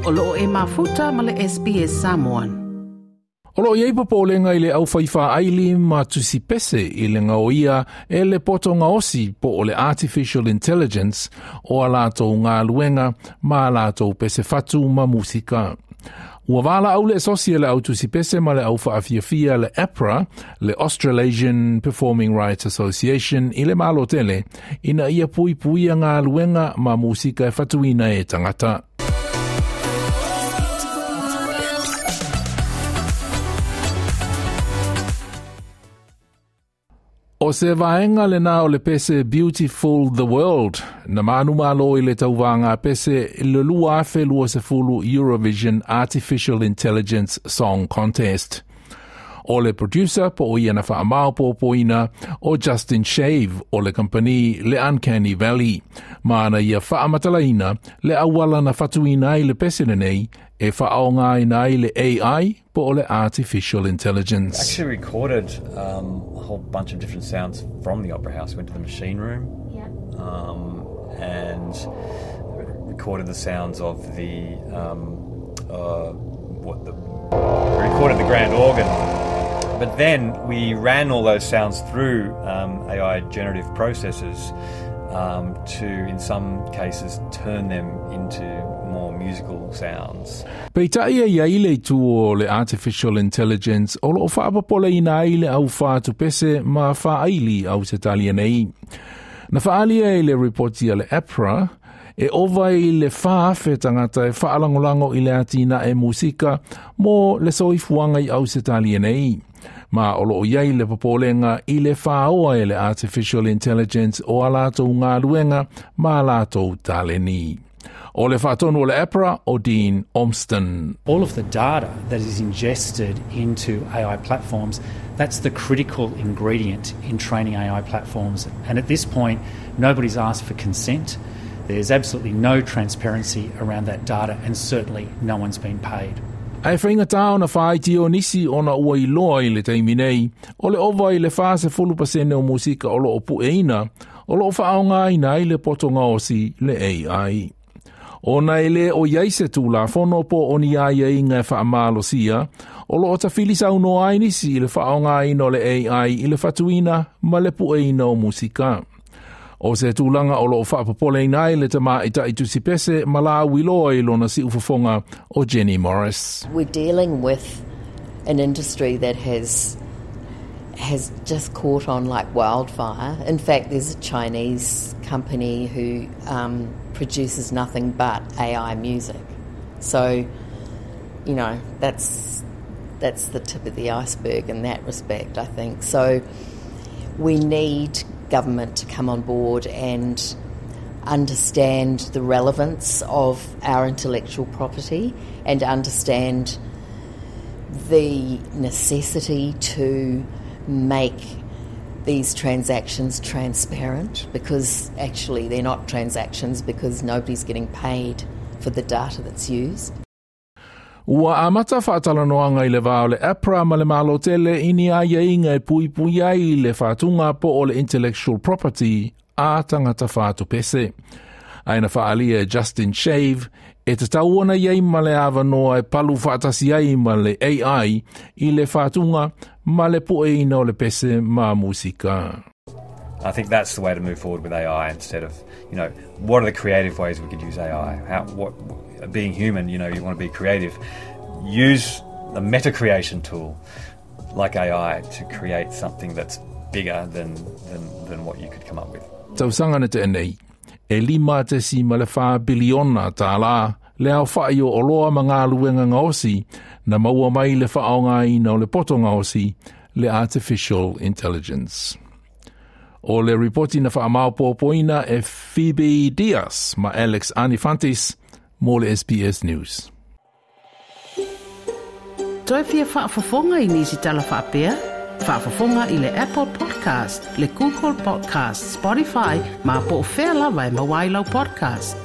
O loo e mafuta ma le SBS Samoan. O loo iai popolega i le aufai faaili ma tusi pese i le gaoia e le poto gaosi po o le Artificial Intelligence o a latou galuega ma a latou pese fatu ma musika. Ua valaau le asosi a le au tusi pese ma le au faafiafia le APRA, le Australasian Performing Rights Association i le Malo tele, ina ia puipuia galuega ma musika e fatuina e tagata. O se vaega lena o le pese Beautiful the World, na manumalo i le tauvaga pese i le 2020 Eurovision Artificial Intelligence Song Contest. O le producer po o ia na faamaopoopoina o Justin Shave o le kamupani le Uncanny Valley, ma ana ia faamatalaina le auala na fatuina ai le pese lenei e faaaogaina ai le AI po o le Artificial Intelligence. Actually recorded a whole bunch of different sounds from the Opera House. Went to the machine room and recorded the sounds of the recorded the grand organ. But then we ran all those sounds through AI generative processes to, in some cases, turn them into more musical sounds. Peitai e iai le itu o le Artificial Intelligence o loo faapopoleina ai le au fatupese ma faaili Ausetalia nei. Na faaalia i le ripoti a le APRA, e ova i le 4,000 tagata e faalagolago i le atinae musika mo le soifuaga i Ausetalia nei. Ma o loo iai le popolega i le faoa e le Artificial Intelligence o a latou galuega ma a latou taleni. O le faatonu o le APRA o Dean Ormston. All of the data that is ingested into AI platforms, that's the critical ingredient in training AI platforms. And at this point, nobody's asked for consent. There's absolutely no transparency around that data, and certainly no one's been paid. Ae faigata ona faaitio nisi ona ua iloa i le taimi nei, o le ova i le 40% o musika o loo pueina, o loo faaaogaina ai le poto gaosi le AI. Ona e le o iai se tulafono po o ni aiaiga e faamalosia, o loo tafili saunoa ai nisi i le faaaogaina o le AI i le fatuina ma le pueina o musika. O se tulaga o loo faapopoleina ai le tamaita'i tusipese ma lauiloa i lona siufofoga o Jenny Morris. We're dealing with an industry that has just caught on like wildfire. In fact, there's a Chinese company who produces nothing but AI music. So, that's the tip of the iceberg in that respect, I think. So we need government to come on board and understand the relevance of our intellectual property and understand the necessity to make these transactions transparent, because actually they're not transactions because nobody's getting paid for the data that's used. Ua amata faatalanoaga i le va o le APRA ma le Malo tele i ni aiaiga e puipui ai le faatuga po o le intellectual property a tagata fatupese. Ae na faaalia e Justin Shave e tatau ona iai ma le avanoa e palu faatasi ai ma le AI i le faatuga ma le pueina o le pese ma musika. I think that's the way to move forward with AI, instead of, what are the creative ways we could use AI? Being human, you want to be creative. Use a meta creation tool like AI to create something that's bigger than what you could come up with. Tausaga na tea nei, e 5.4 biliona tālā le aofa'i o oloa ma galuega gaosi na maua mai le faaaogaina o le poto gaosi le Artificial Intelligence. O le ripoti na faamaopoopoina e Phoebe Diaz ma Alex Anifantis mo le SBS News. Toe fia faafofoga i nisi tala faapea? Faafofoga i le Apple Podcast, le Google Podcast, Spotify, ma po o fea lava e maua ai lau podcast.